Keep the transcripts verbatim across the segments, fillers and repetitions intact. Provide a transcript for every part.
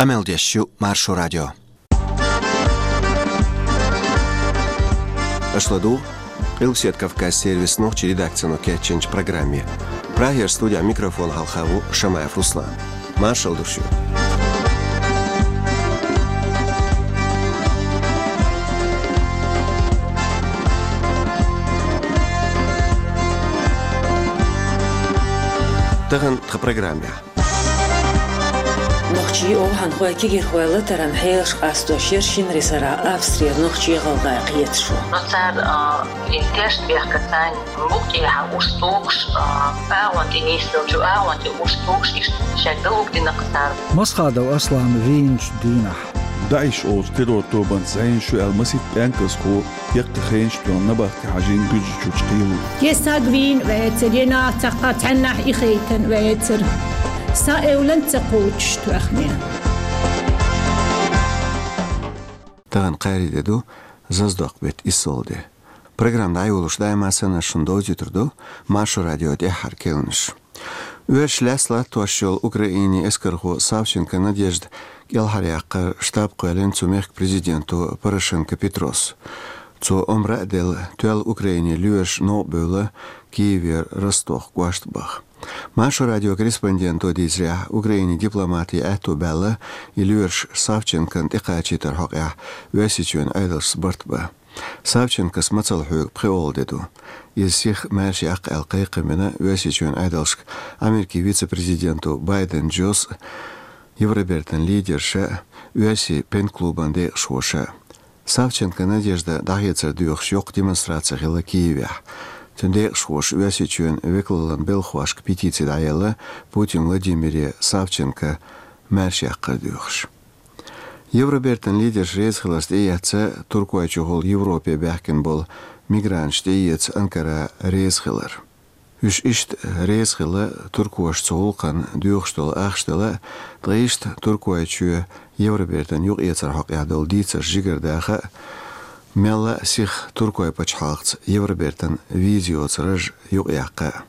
Къамел деш ю Маршо радио. Аша ладугӀу Къилбаседа Кавказан сервисан нохчийн редакцино кечйинчу программе. Прагера студехь микрофон хьалха ву Шамаев Руслан. Маршалла ду шуьга. Тахана тхан программехь. Нохчий, овхӀанхой, кегирхой латаран хьелаш къастош яра шина ресара Австрера нохчий, гӀалгӀай кхеташо. Но цара, а, и тешнабехкаца букъ тӀехьа уьш тухуш, а, агӀон тӀе нисделча, агӀон тӀе уьш тухуш, иштта шаьш далугдина-кх цара. Масхадов Аслана вийначу дийнахь. ДАИШ олучу террор-тобанца зӀенаш ю аьлла масийтта пӀенказхо яккхий хенаш тоьхна набахте хьажийна Гуьржийчуьрчу кхело. Е саг вийна вецара, е нах цхьаъ цхьаннахь ихийтина вецара. Сан эвлан ца кхочуш тоьхна. Тахана кхаарин де ду, Заздоккху беттан иссалгӀа де. Программа дӀайолош даима санна шуна довзуьйтур ду Маршо радион тӀаьххьара керланаш. Оьшуш лаьцна латтош йолу Украинин эскархо Савченко Надежда кӀелхьаръяккхар штаб кхоьллина цу мехкан президенто Порошенко Петрос. Цо омра а делла, тоьлла Украинин лоьраш новкъа бевлла Киевера Ростов кӀоштан баха. Маршо радион корреспонденто дийцарехь, Украинин дипломатийн аьтто баьлла, и лоьраш Савченкона тӀекхачийтаран хьокъехь Оьрсийчоьнан Ӏедалшца барт бан. Савченкос мацалла хьоьгу пхоьалгӀа де ду. Иза сиха маьрша яккха аьлла кхайкхам бина Оьрсийчоьнан Ӏедалшка Америкин вице-президенто Байден Джос а, Евробертан лидерша а, оьрсийн пен-клубан декъашхоша а. Савченко Надежда дӀахецар доьхуш йоккха демонстраци хилла Киевехь. Цуьнан декъашхоша Оьрсийчоьнан векалаллин белхахошка петици дӀаелла, Путин Владимире Савченко маьрша яккхар доьхуш. Евробертан лидерш реза хиларца тӀеэцна Туркойчухула Европе баьхкина болу мигранташ тӀеэца Анкара реза хилар. Уьш иштта реза хилла туркоша цу гӀуллакхна доьхуш долу ахча дала а, ткъа иштта Туркойчоь Евробертана юкъаэцаран хьокъехь долу дийцарш жигардаха а, мелла а сиха Туркойн пачхьалкхаца Евробертана виза йоцу раж юкъаяккха а.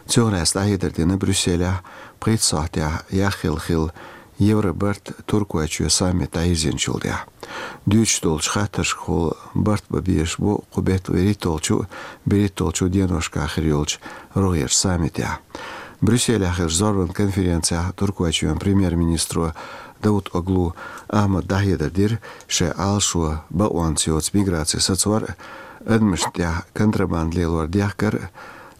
Цунах лаьцна дӀахьедар дина Брюсселехь пхийтта сахьтехь яхъелла хилла Евробарт-Туркойчоь саммит дӀайирзинчул тӀаьхьа. Дуьйцуш долчу хаттаршкахула барт бан безаш бу кху беттан вуьрхӀитталгӀачу а, берхӀитталгӀачу а деношкахь хир йолчу рогӀерчу саммитехь. Брюсселехь хиллачу зорбанан конференцехь Туркойчоьнан премьер-министро Давутоглу Ахьмада дӀахьедар дира, шайн Ӏалашо бакъонца йоцу миграци сацор а, адамашна тӀехь контрабанда лелор дехкар а,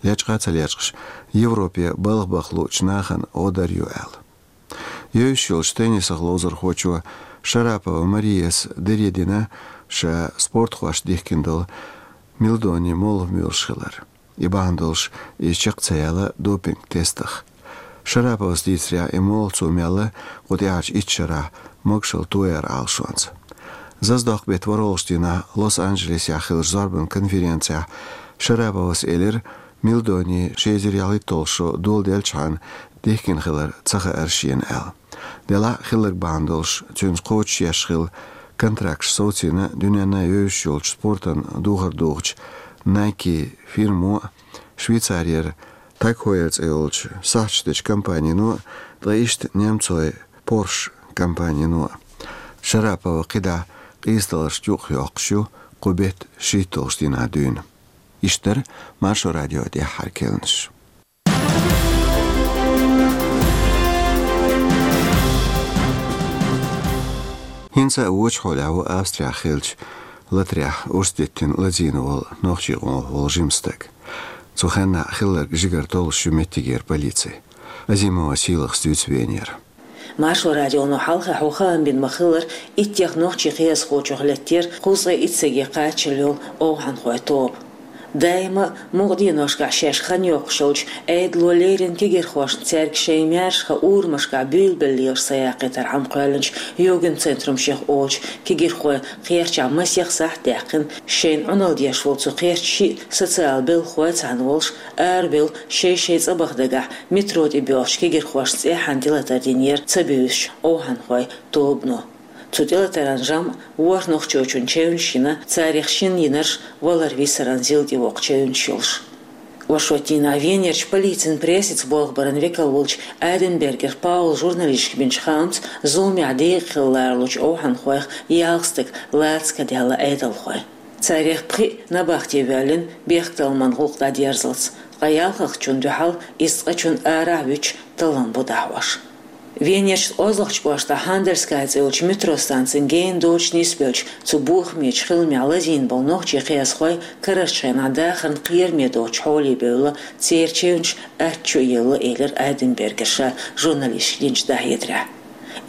лечкъа а ца лечкъаш, Европе балха баха луучу нахана гӀо дар ю аьлла. Евзаш йолчу теннисах ловзархочо Шарапова Марияс даре дина ша спортхошна дихкина долу милдони молха муьйлуш хилар. И бахьана долуш иза чекх ца яьлла допинг-тестах. Шараповас дийцарехь, и молха цо мелла кху тӀаьхьарчу итт шарахь могашалла тояран Ӏалашонца. Заздоккху беттан ворхӀалгӀачу дийнахь Лос-Анджелесехь хиллачу зорбанан конференцехь Шараповас элира, милдони ши эзар ялхитталгӀа шо доладелчхьана дихкина хилар ца хаьара шена аьлла. Делахь а хилларг бахьана долуш цуьнца кхочушъеш хилла контракташ совцийна дуьненна а евзаш йолчу спортан духар духучу Nike фирмо а, Швейцарера Tag Heuer цӀе йолчу сахьташ дечу компанино а, ткъа иштта немцойн Porsche компанино а. Шарапова кхидӀа къийсадаларшна юкъахь йоккхуш ю кху беттан шийтталгӀачу дийнахь дуьйна. Иштта дара Маршо радион тӀаьххьара керланаш. ХӀинца а вочу хьолехь ву Австрехь хиллачу латарехь урс диттина лазийна волу нохчийн къомах волу жима стаг. Цу хенахь хилларг жигара толлуш ю меттигера полици. Азимова Сийлахас дуьйцу венера. Маршо радионо хьалха хьо хаам бина ма-хиллара, иттех нохчийн кхиазхочух леттера кхузткъе итт стаге кхачалла йолу овхӀанхойн тоба. Даима а мукъа деношкахь шаьш хан йоккхуш йолчу Ӏедало леррина кегирхошна цаьрга шайн маьршаха урамашкахь буьйлабелла лелаш са яккхийтар хьама кхоьллинчу Югенцентрумех олучу кегирхойн кхерчахь масех сахьт даьккхина, шайна Ӏуналла деш волу цу кхерчан шиъ социалан белхахой цхьаьна волуш, арабевлла шай-шайн цӀа баха дагахь метро тӀе боьлхучу кегирхошна цӀеххьана тӀелатар динера ца буьйсучу овхӀанхойн тобано. Цу тӀелатаран жамӀ ворхӀ нохчочунна чевнаш йина, царах шинна йинарш валар-висаран зил тӀе воккху чевнаш йолуш. Оршотдийнахьа Венерчу полицин прессица болх баран векал волчу Айденбергер Паула журналисташка бинчу хаамца, зуламехь декъа хила лоручу овхӀанхойх ялх стаг лаца кадаьлла Ӏедалхой. Царех пхиъ набахте воьллина бехктакхаман гӀуллакх дӀадерзалц, ткъа ялхалгӀачунна дуьхьал иза цкъачунна арахь а вуьтуш таллам бу дӀахьош. Венерчу кӀеззигчу кӀоштахь Хандельская цӀе йолчу метро станцин гена доцуш нисбеллачу цу бохамечу хиламехь лазийна болу нохчийн кхиазхой карарчу хенахь дахарна кхераме доцучу хьоле бевлла, церан чевнаш аттачу елла, элира Айденбергера ша журналисташка динчу дӀахьедарехь.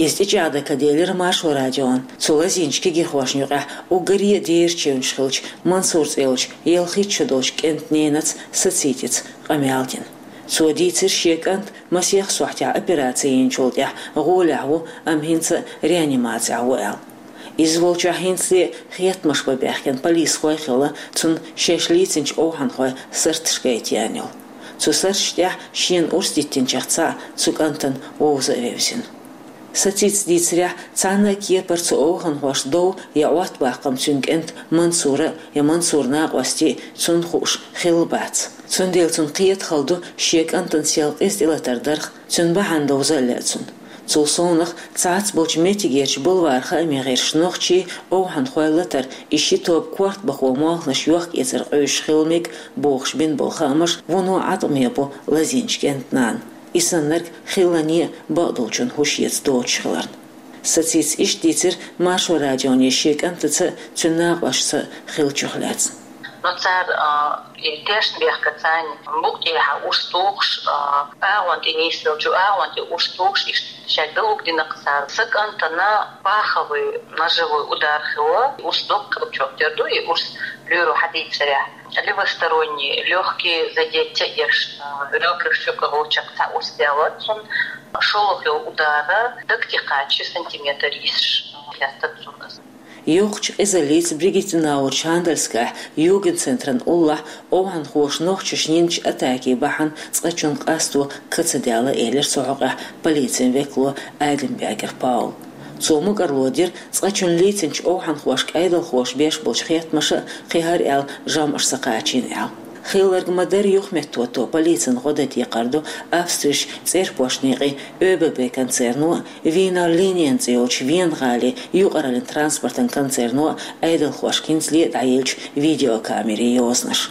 Иза тӀечӀагӀдан ка делира Маршо радион. Цу лазийначу кегийрхошна юкъахь уггаре а дера чевнаш хиллачу Мансур цӀе йолчу ялхитта шо долчу кӀентан ненаца Сацицица къамел дина. Цо дийцира шен кӀант масех сохьтехь операци йинчул тӀаьхьа гӀолехь ву, амма хӀинца а реанимацехь ву аьлла. Иза волчохь хӀинцале а хеттамаш бан баьхкина полисхой а хилла, цунна шаьш лийцинчу овхӀанхойн сарташ гайта еана йолу. Цу сарташна тӀехь шена урс диттинчех цхьаъ цу кӀантана вовза а вевзина. Сацица дийцарехь, цхьана а кепара цу овхӀанхошна дов я Ӏоттабаккхам цуьнан кӀентан Мансуран а, я Мансуран накъостийн а цунна хууш хилла бац. Цундела цунна кхета хала ду шен кӀантана сел къиза тӀелатар дарх, цуьнан бахьана довза а лаьа цунна. Цул совнаха, цхьацца болчу меттигерчу бульваран хаамийн гӀирсаша нохчий, овхӀанхой латар, и ши тоба корта бахо молханаш йохка-эцар къуьйсуш хила мега бохуш бина болу хаамаш вуно Ӏаткъаме бу лазийначу кӀентан нанна. И саннарг хиллане а бакъдолчун хӀуш эца доцуш хиларна. Сацица иштта дийцира Маршо радионе шен кӀантаца а, цуьнан накъостаца а хиллачух лаьцна. Но цара, а, и тешнабехкаца, букъ тӀехьа урс тухуш, а, агӀон тӀе нисделчу агӀон тӀе урс тухуш, иштта шаьш далур дина-кх цара. Сан кӀантана паховый ножевой удар хилла, урс доккха чохь тера ду, и урс лоьро хьадийцарехь. Левосторонние лёгкие задеть ца еш, а, ребраш чу кхочуш цхьа урс даьлла цунна, шолгӀа удара даг тӀе кхача сантиметр йисаш, а, хеттара цунна. Йоккхачу къизаллица Бригиттенауэрчу Хандельская югенцентран уллохь овхӀанхоша нохчашна йинчу атакин бахьана цкъачунна къасто ка ца даьлла, элира цу хьокъехь полицин векало Айденбергер Паула. Цо мукӀарло дира цкъачунна лийцинчу овхӀанхошка Ӏедалхоша беш болчу хеттамаша а кхин хӀара аьлла жамӀаш ца кхачийна аьлла. Хилларг ма-дарра юхаметтахӀотто полицина гӀо дан декхар ду Австрерчу цӀерпошт некъийн ОББ концерно а, Вийнер Линен цӀе йолчу Вена-гӀалин юкъараллин транспортан концерно а Ӏедалхошка хӀинцале а дӀаеллачу видеокамерийн йозанаш.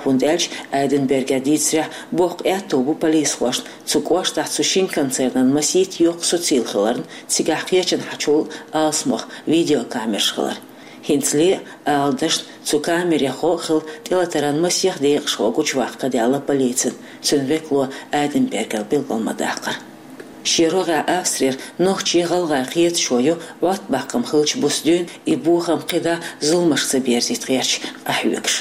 ХӀунда аьлча, Айденбергера дийцарехь, боккха аьтто бу полисхошна цу кӀоштахь цу шина концернан масийтта йоккха суцийла хиларна, цигахь кхечанхьачул алсамох видеокамераш хилар. ХӀинцале а, ала дашна, цу камерех гӀо а хилла, тӀелатаран масех декъашхо гучуваккха ка даьлла полицина, цуьнан векало Айденбергера билгал ма-даккхара. Шен рогӀехь Австрера нохчийн, гӀалгӀайн кхеташо ю Ӏоттабаккхам хиллачу буса дуьйна и бохам кхидӀа зуламашка ца берзийта гӀерташ къахьоьгуш.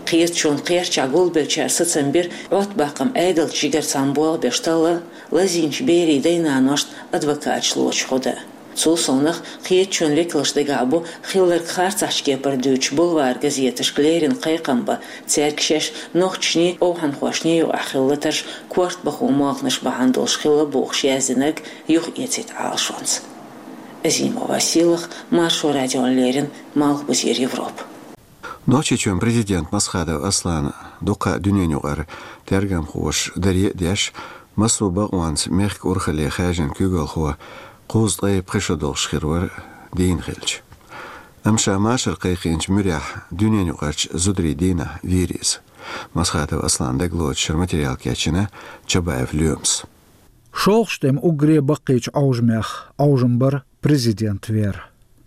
Кхеташонан кхерчахь гулбеллачара сацам бира Ӏоттабаккхам Ӏедалца жигара цхьаьна болх беш талла а, лазийначу берийн дай-наношна адвокаташ лоцуш гӀо дан а. Цул совнаха, кхеташонан векалшна дагахь бу хилларг харцахьчу кепара дуьйцуш бульваран газеташка леррина кхайкхам бан, цаьрга шаьш нохчашний, овхӀанхошний юкъахь хилла латарш корта бахо молханаш бахьана долуш хилла бохуш яздинарг юхаэцийта Ӏалашонца. Азимова Сийлаха, Маршо радиона леррина, Малхбузера Европа. Нохчийчоьнан президент Масхадов Аслана дуккха а дуьненаюкъара тергамхоша даре а деш, массо а бакъонца мехкан урхалле хаьржина куьйгалхо кхузткъе пхи шо долуш хир вара дийна хилча. Амма ша машар кхайкхийначу муьрехь дуьненаюкъарчу зударийн дийнахь вийра иза. Масхадов Асланан дагалоцуш шара материал кечйина Чабаев Лоьмас. ШолгӀачу тӀеман уггаре а баккхийчу Ӏовжамех Ӏовжам бара президент вер.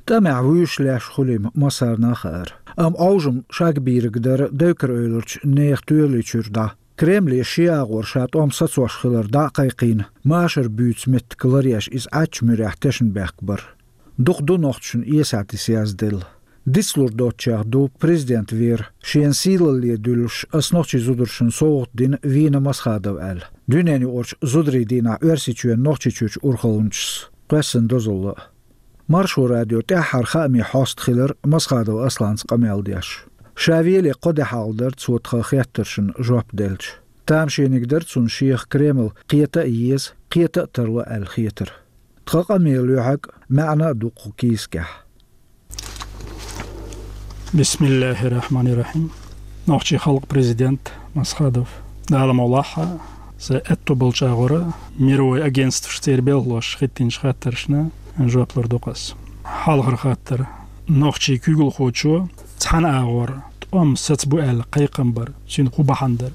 ТӀамехь вуьйш леш хуьлийла массарна а хаьара. Амма Ӏовжам шагбийриг дара Дойкар-Эвларчу нехан тоьлаллин чуьра дӀа. Кремле шен агӀор ша тӀом сацош хилар дӀа а кхайкхийна, машар буьйцу меттиг ларъеш иза Ӏаччу муьрехь тешнабехк бара. Дукха ду нохчашна эсех дисязделла. Дицлур доцучех ду президент вер, шена сийлалле дуьллуш, ас нохчийн зударшна совгӀат дина вийна Масхадов аьлла. Дуьненаюкъарчу зударийн дийнахь Оьрсийчоьнан Нохчийчуьрчу урхалланчас кхоьссина дозалла а. Маршо радион тӀаьххьара хаамийн хьоста хилира Масхадов Асланца къамел деш. Ша веле кхо де хьалха дара цо тхан хеттаршна жоп делча. Тамашийна дара цунна шех Кремль кхета а еза, кхета а тарло аьлла хетар. Тхан къамелан лоьхьаг а, маьӀна а ду кху кийсакехь. Бисмиллахир-рахманир-рахим. Нохчийн халкъан президент Масхадов. Дала мукъ лахь, са аьтту болчагӀора мировой агентстваш цӀера белхалош хӀиттийнача хаттарашна жоп лур ду-кх аз. Хьалхара хаттар. Нохчий куьйгалхочо цхьан агӀор тӀом сацбу аьлла кхайкхам бар, цуьнан хӀун бахьана дара?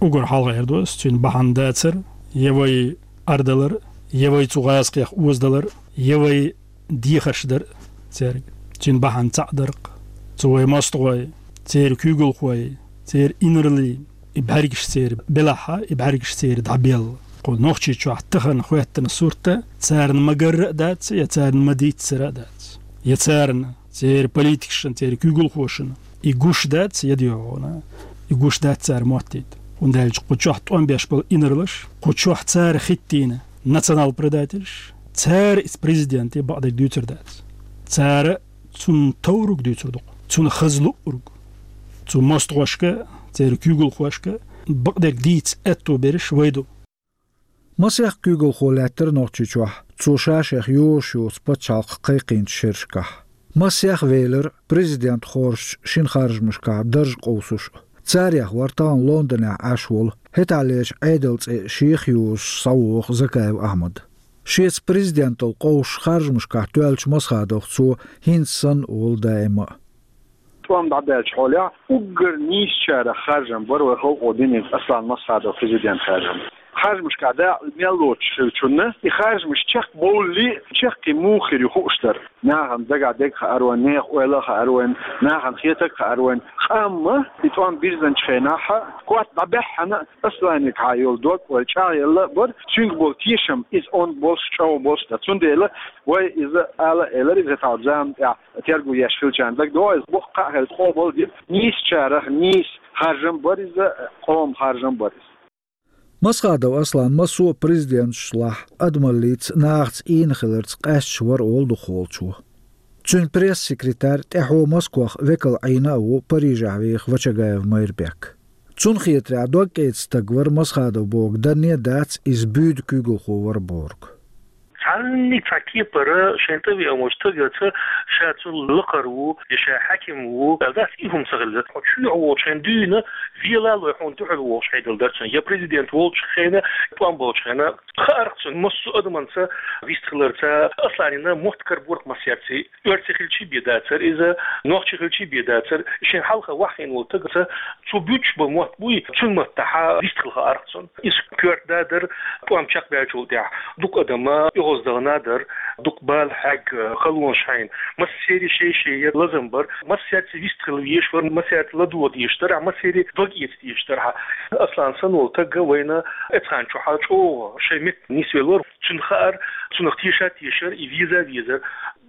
Уггар хьалха эр ду ас, цуьнан бахьана дацар, я вай арадалар, я вай цу гӀазкхех озадалар, я вай дехарш дар цаьрга. Цуьнан бахьана цхьаъ дар-кх. Цу вай мостагӀой, церан куьйгалхой, церан инарла, и бӀаьргаш церан белахь, и бӀаьргаш церан дӀабелла. Кху Нохчийчохь тахана хӀоьттина сурт царна ма-гарра а дац, я царна ма-дийццара а дац. Я царна, церан политикашна, церан куьйгалхошна и гуш дац, я дегӀана, и гуш дац цара моттийта. ХӀунда аьлча кху чохь тӀом беш болу инарлаш, кху чохь цара хӀиттийна национал-предательш, цара иза президенте бакъдерг дуьйцур дац. Цара цунна товрург дуьйцур ду-кх, цунна хаза луург. Цу мостагӀошка, церан куьйгалхошка бакъдерг дийца аьтту берш вай ду. Масех куьйгалхо лаьттара Нохчийчохь, цо ша-шех йозуш йоцу пачхьалкх кхайкхийначу шерашкахь. Масех велира президент хоржучу шина харжамашкахь дарж къовсуш а. Царех вара тахана Лондонехь Ӏаш волу, хӀетахьлерчу Ӏедалан цӀе шех йозуш схьавогӀу Закаев Ахьмад. Шеца президенталла къовсуш харжамашкахь тоьллачу Масхадовх цо хӀинца санна а волу даима а. ТӀом дӀадаьллачу хьолехь уггар нийсачарах харжам бара вай халкъо динарг Аслан Масхадов президент харжам. Харжамашкахь дакъа мел лоцуш хиллачунна и харжамаш чекхбовллий, чаккхе муха хир ю хууш дара. Нахана дагахь дерг хаар вайн, нехан ойла а хаар вайн, нахана хетарг а хаар вайн. Амма и тӀом бирзинчу хенахь, котта дӀабаьххьана, Асланегахьа йолу дог вай чӀагӀъелла а бара, цуьнга болу тешам, иза онда болуш, чӀогӀа болуш дара. Цундела вай иза ала а элира, иза тахана зама тӀехь терго еш хилчарна дагадогӀу, иза боккха кхаъ хилла къобал дира. Нийсачарах нийса харжам бара иза, къоман харжам бара иза. Масхадов Аслан массо а президенташлахь адамаллица, нахаца ийна хиларца къаьсташ вара олу дукхахволчо. Цуьнан пресс-секретарь тӀаьхьо Москвахь векал Ӏийна а ву Парижехь веха Вачагаев Майрбек. Цунна хетарехь, догкъеца стаг вара Масхадов бохург данне а дац, иза буьйда куьйгалхо вара бохург. Цхьаннех цхьа кепара шайн тӀе веана волчу стагаца ша цунна лакхара ву, я ша хьаькам ву аьлла дац, и хӀума ца хилла. Хьо чоьхьа волчу хенахь дуьйна, вела а лой хьуна дуьхьал вогӀуш хьедала дара цунна. Я президент волчу хенахь, тӀом болчу хенахь. Хаарх цунна массо а адаманца вистхиларца, Асланина мотт караборх массаьрций. Оьрси хилчий бен дацара иза, нохчи хилчий бен дацара, шен хьалха ваххийна волу стагаца цо буьйцуш болу мотт буй, цуьнан маттахь вистхила хаарх цунна. Иза коьрта да дара, тӀом чекхбаьллачул тӀаьхьа дукха адам оьгӀаздахана дара, дукха бала хьегна, халонаш хьийна. Массеран шен-шен яра лазам бара, массаьрца вистхила везаш вара, массаьрца ладогӀа дезаш дара, массеран дог эца дезаш дара. Аслан санна волу стаг вайна эцхьан чохь чӀогӀа шайн метта нисвелла вара. Цунна хаьара, цунах теша а тешара, и веза а везара.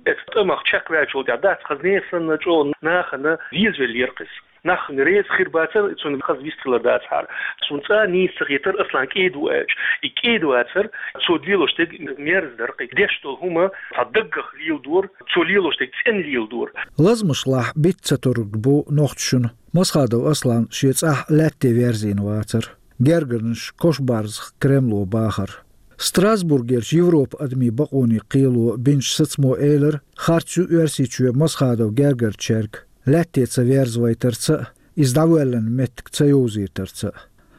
Эцу тӀамах чекхваьллачул тӀаьхьа дац, хаза нехан санна чӀогӀа нахана везавеллера-кх иза. Нах реза хир бацара, цунна хаза вистхилар дацахьара. Цунна цкъа а нийса ца хетара Аслан кӀеда ву аьлча. И кӀеда вацара, цо лелош дерг мерза дара-кх. Деш долу хӀума цхьа даггах леладора, цо лелош дерг цӀена леладора. Лазамашлахь битта ца тург бу нохчашна Масхадов Аслан шен цӀахь лаьтте верзийна вацар. Гергарнаш Кошбарзах Кремло бахар. Страсбургерчу Европа адамийн бакъонийн кхело бинчу сацамо элира, харц ю Оьрсийчоь Масхадов гергарчаьрга лаьтте ца верзавайтарца а, иза дӀавоьллина меттиг ца йовзийтарца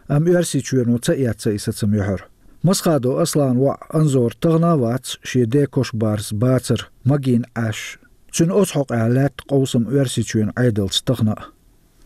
а. Амма Оьрсийчоьно ца эцна и сацам юьхьара. Масхадов Асланан воӀ Анзор тахана а вац шен ден Кошбарз бацар, магийна Ӏаш. Цуьнан оцу хьокъехь лаьтта къовсам Оьрсийчоьнан Ӏедалца тахана а.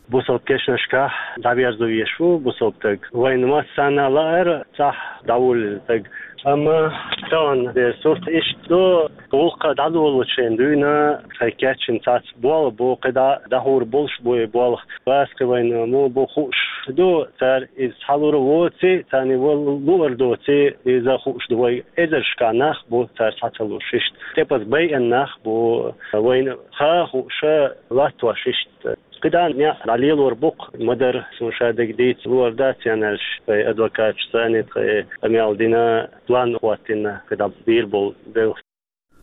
Бусалба кешнашкахь дӀаверзо везаш ву бусалба стаг. Вайна массарна а лаьара цӀахь дӀавуллина стаг. Амма тахана дерг сурт иштта ду, гӀуллакх дӀадолалучу хенахь дуьйна тхайн кечйина цхьацца болх бу, кхидӀа дӀахьур болуш бу и болх. Бац кхин вайна муха бу хууш ду, цара иза схьалур воций, царна вай луур доций, иза хууш ду вайга. Эзаршкахь нах бу цара схьа ца луш иштта. ТӀепаза байина нах бу, вайна хаа хууш латтош иштта. КхидӀа некъ дӀалелор бу-кх, ма-дарра, суна ша дерг дийца луур дац аьлла, вай адвокаташа царна тхайн къамел дина, план хӀоттийна, кхидӀа бийр болу белхаш.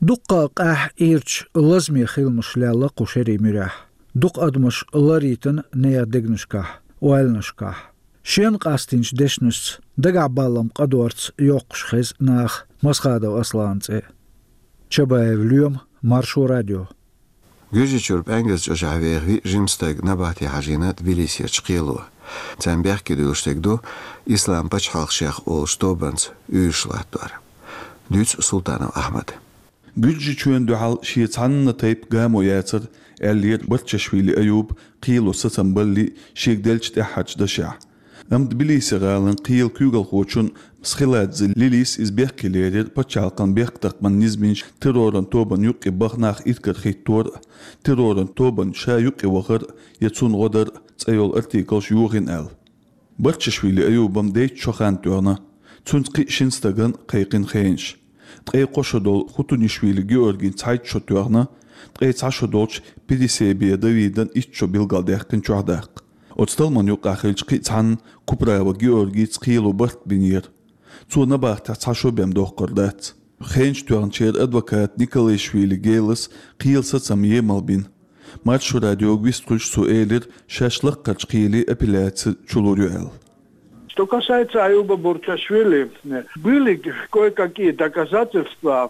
Дуккха а къаьхьа ирча лазаме хиламаш лелла кху шерийн муьрехь. Дукха адамаш ларйитина нехан дегнашкахь, ойланашкахь. Шена къастийначу дешнашца, дагахь баллам къадорца йоккхуш хеза наха Масхадов Асланан цӀе. Чабаев Лоьма, Маршо радио. Гуьржийчуьра ПӀаьнгаза чӀожахь веха виъ жима стаг набатехь хьажийна Тбилисерчу кхело. Царна бехке дуьллуш дерг ду Ислам пачхьалкх шех олуш тобанца уьйраш латтор. Дуьйцу Султанов Ахьмада. Гуьржичоьнна дуьхьал шен цхьанна тайпа гамо яцара, аьллера Барчашвили Аюба кхело сацам балале шега деллачу тӀаьххьарчу дашехь. Амма Тбилиси гӀалин кхелан куьйгалхочун Мсхеладзе Лилис иза бехке лерира пачхьалкхан бехктакхаман низамаш терроран тобанна юккъе баха нах иракарахӀиттор а, терроран тобанна ша юккъе вахар а я цунна гӀо дар а цӀе йолу артиклаш йохийна аьлла. Барчашвили Аюбан дейтта шо хан тоьхна, цуьнца кхин а шина стагана кхайкхина хенаш. Ткъе кхо шо долу Хутунишвили Георгин цхьайтта шо тоьхна, ткъе цхьа шо долчу Пересебия Давидан итт шо билгалдаьккхина чохь даккха. Оцу талламан юккъехь хиллачу кхин а цхьанна Куправа Георгица кхело барт бинера. Цо набахтехь цхьа шо бен доккхур дац. Хенаш тоьхначеран адвоката Николаишвили Гелас кхелан сацам емал бина. Маршо радиога вистхуьлуш цо элира, шаьш лаккхарчу кхеле апелляци чулур ю аьлла. Что касается Аюба Бурчашвили, были кое-какие доказательства,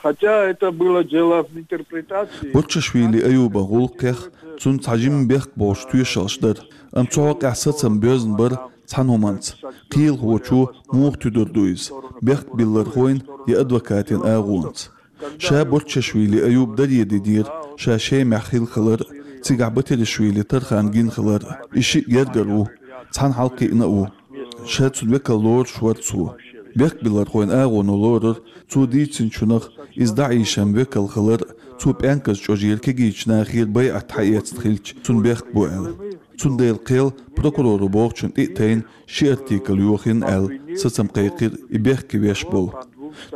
хотя это было дело в интерпретации. Бурчашвили Аюбан гӀуллакхех цунна цхьа жимма бехк болуш тоьшаллаш дара, амма цу хьокъехь сацам боьзна бара цхьана хӀуманца. Кхелахочо муха туьдур ду иза, бехк биллархойн я адвокатийн агӀонца. Ша Бурчашвили Аюба даре динера ша Шемахь хилла хилар а, цигахь Батиришвили Тархан гина хилар а. И шиъ гергара ву, цхьаьна хьалакхиъна а ву. Ша цуьнан векал лоруш вара цо. Бехк биллархойн агӀоно лорара цо дийцинчунах, иза ДАИШан векал хилар а, цо ПӀенказ чӀожера кегийчу нахера байӀат хьаэцна хилча, цунна бехк бу аьлла. Цундела кхел прокуроро бохучунна тӀе а тайна, ши артикл йохийна аьлла, сацам кхайкхира и бехке веш болу.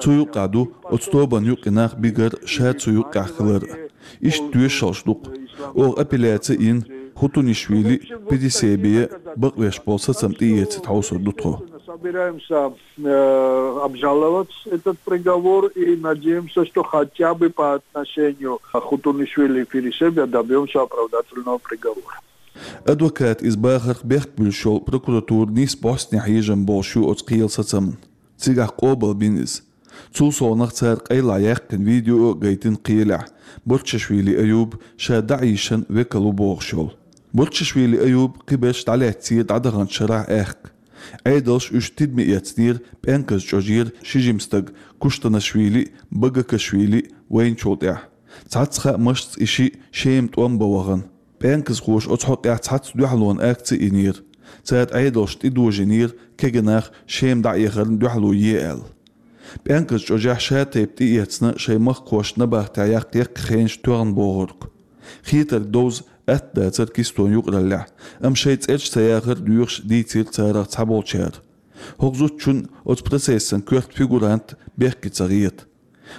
Цу юккъехь ду оцу тобанна юккъе нах бигар а, ша цу юккъехь хилар а. Иштта тоьшаллаш ду-кх. Оха апелляци а йина, Хутунишвили а, Пересебия а бакъвеш болу сацам тӀеэцийта хьовсур ду тхо. Собираемся, э, обжаловать этот приговор и надеемся, что хотя бы по отношению к Хутунишвили и Пересебия добьёмся оправдательного приговора. Адвоката иза бахарх бехк буьллуш йолу прокуратура нийса бӀостанехьа хьежам болуш ю оцу кхелан сацамна. Цигахь къобалбина иза. Цул совнаха цара къайлаха яьккхина видео а гайтина кхелехь, Бурчашвили Аюба ша ДАИШан векал ву бохуш йолу. Бурчашвили Аюба кхиберш дӀалаьцнера дӀадаханчу шарахь аьхка. Ӏедалша уьш тидаме эцнера ПӀенказ чӀожера ши жима стаг Куштанашвили а, Багакашвили а вайначул тӀаьхьа. Цхьацца хаамашца и шиъ Шема тӀом бан вахана. ПӀенказхоша оцу хьокъехь цхьацца дуьхьалонан акци а йинера. Цара Ӏедалшна тӀедожийнера кегий нах Шема дӀаэхарна дуьхьало е аьлла. ПӀенказ чӀожехь ша тайпа тӀеэцна шайн махкахошна набахтехь яккха яккхий хенаш тоьхна бохург. Хетарг довза атта дацара кистон юкъараллехь, амма шайн цӀераш ца яхар а доьхуш дийцира царах цхьаболчара. ХӀокху зудчунна оцу процессан коьрта фигурант бехке ца хета.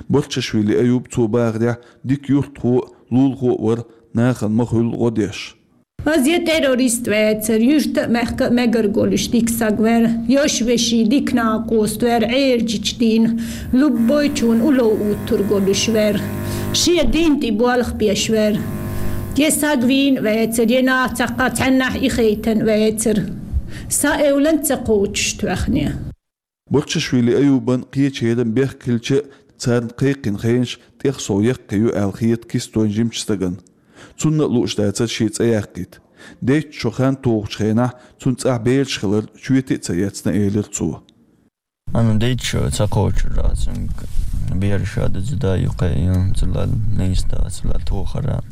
Бурчашвили Аюба цо бахарехь дика юьртахо а, лулахо а вара, нахана ма хуьллу гӀо деш. Аз я террорист вацар, юьрта а, мехка а мегар голуш дика саг вар, йош вешин дика накъост вар, Ӏержичу дийна, луббойчун улов уттур голуш вар, шен дин тӀе болх беш вар. Я саг вийна вацар, я нах цхьаккха цхьаннахь и хайтан вацар. Сан эвлан ца кхочуш тоьхне. Бурчашвили Аюбан кхечеран бехк хилча а, царна кхайкхина хенаш тӀех сов яккхий ю аьлла хета кистойн жимачу стагана. Цунна а лууш дацара шен цӀе яккхийта. Дейтта шо хан тухучу хенахь цунна цӀахь бераш хилар чоьте а ца эцна, элира цо. Ана дейтта шо ца кхочур а, цуьнга бераш а дузу да юккъе а, цуьнан лайста, цуьнан тохара.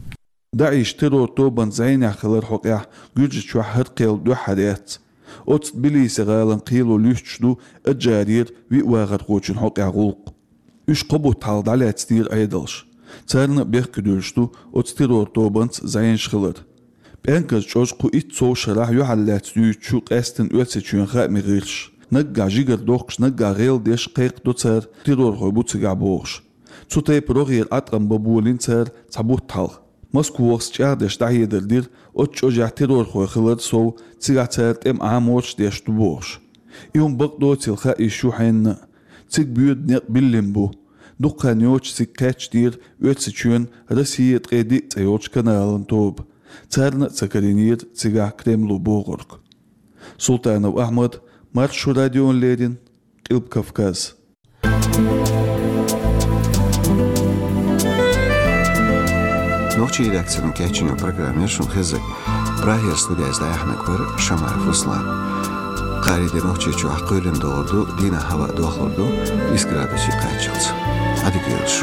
ДАИШ террор тобанан зӀенехь хилар хьокъехь Гуьржичохь хӀара кхел дуьххьара яц. Оцу Тбилиси гӀалин кхело луьстуш ду Аджарера виъ вахархочун хьокъехь гӀуллакх. Уьш кхо бутт хьалха дӀалаьцнера Ӏедалша. Царна а бехке дуьллуш ду оцу террор тобанца зӀенаш хилар. ПӀенказ чӀожа кху итт сов шарахь юьхьарлаьцна дуьйцучу къаьсттина Оьрсийчоьнан хаамийн гӀирсаша. Наггахь жигара дохкуш, наггахь гӀелдеш кхайкхадо цара, террорхой бу цигахь бохуш. Цу тайпа рогӀера Ӏаткъам бан болийна цара цхьа бутт хьалха. Москвахца чӀагӀдеш дӀахьедар дира оцу чӀожехь террорхой хилар сов, цигахь цара тӀеман Ӏаморш деш ду бохуш. И хӀума бакъдоцийла хаийш ю хьенна а. Цига боьду некъ биллина бу. Дукха хан йоцуш цига кхаьчнера Оьрсийчоьнан «Россия ткъе диъ» цӀе йолчу каналан тоба. Царна а ца карийнера цигахь Кремло бохург. Султанов Ахьмад, Маршо радиона леррина, Къилба Кавказ. Нохчийн редакцино кечйина программа яра шуна хезнарг. Прагера студияз дӀаяхьнарг вар Шамаев Руслан. Кхари де Нохчийчохь кхоьлина догӀур ду, дийнахь хӀаваъ дохлур ду исс градусе кхаччалц. Ӏадика йойла шу.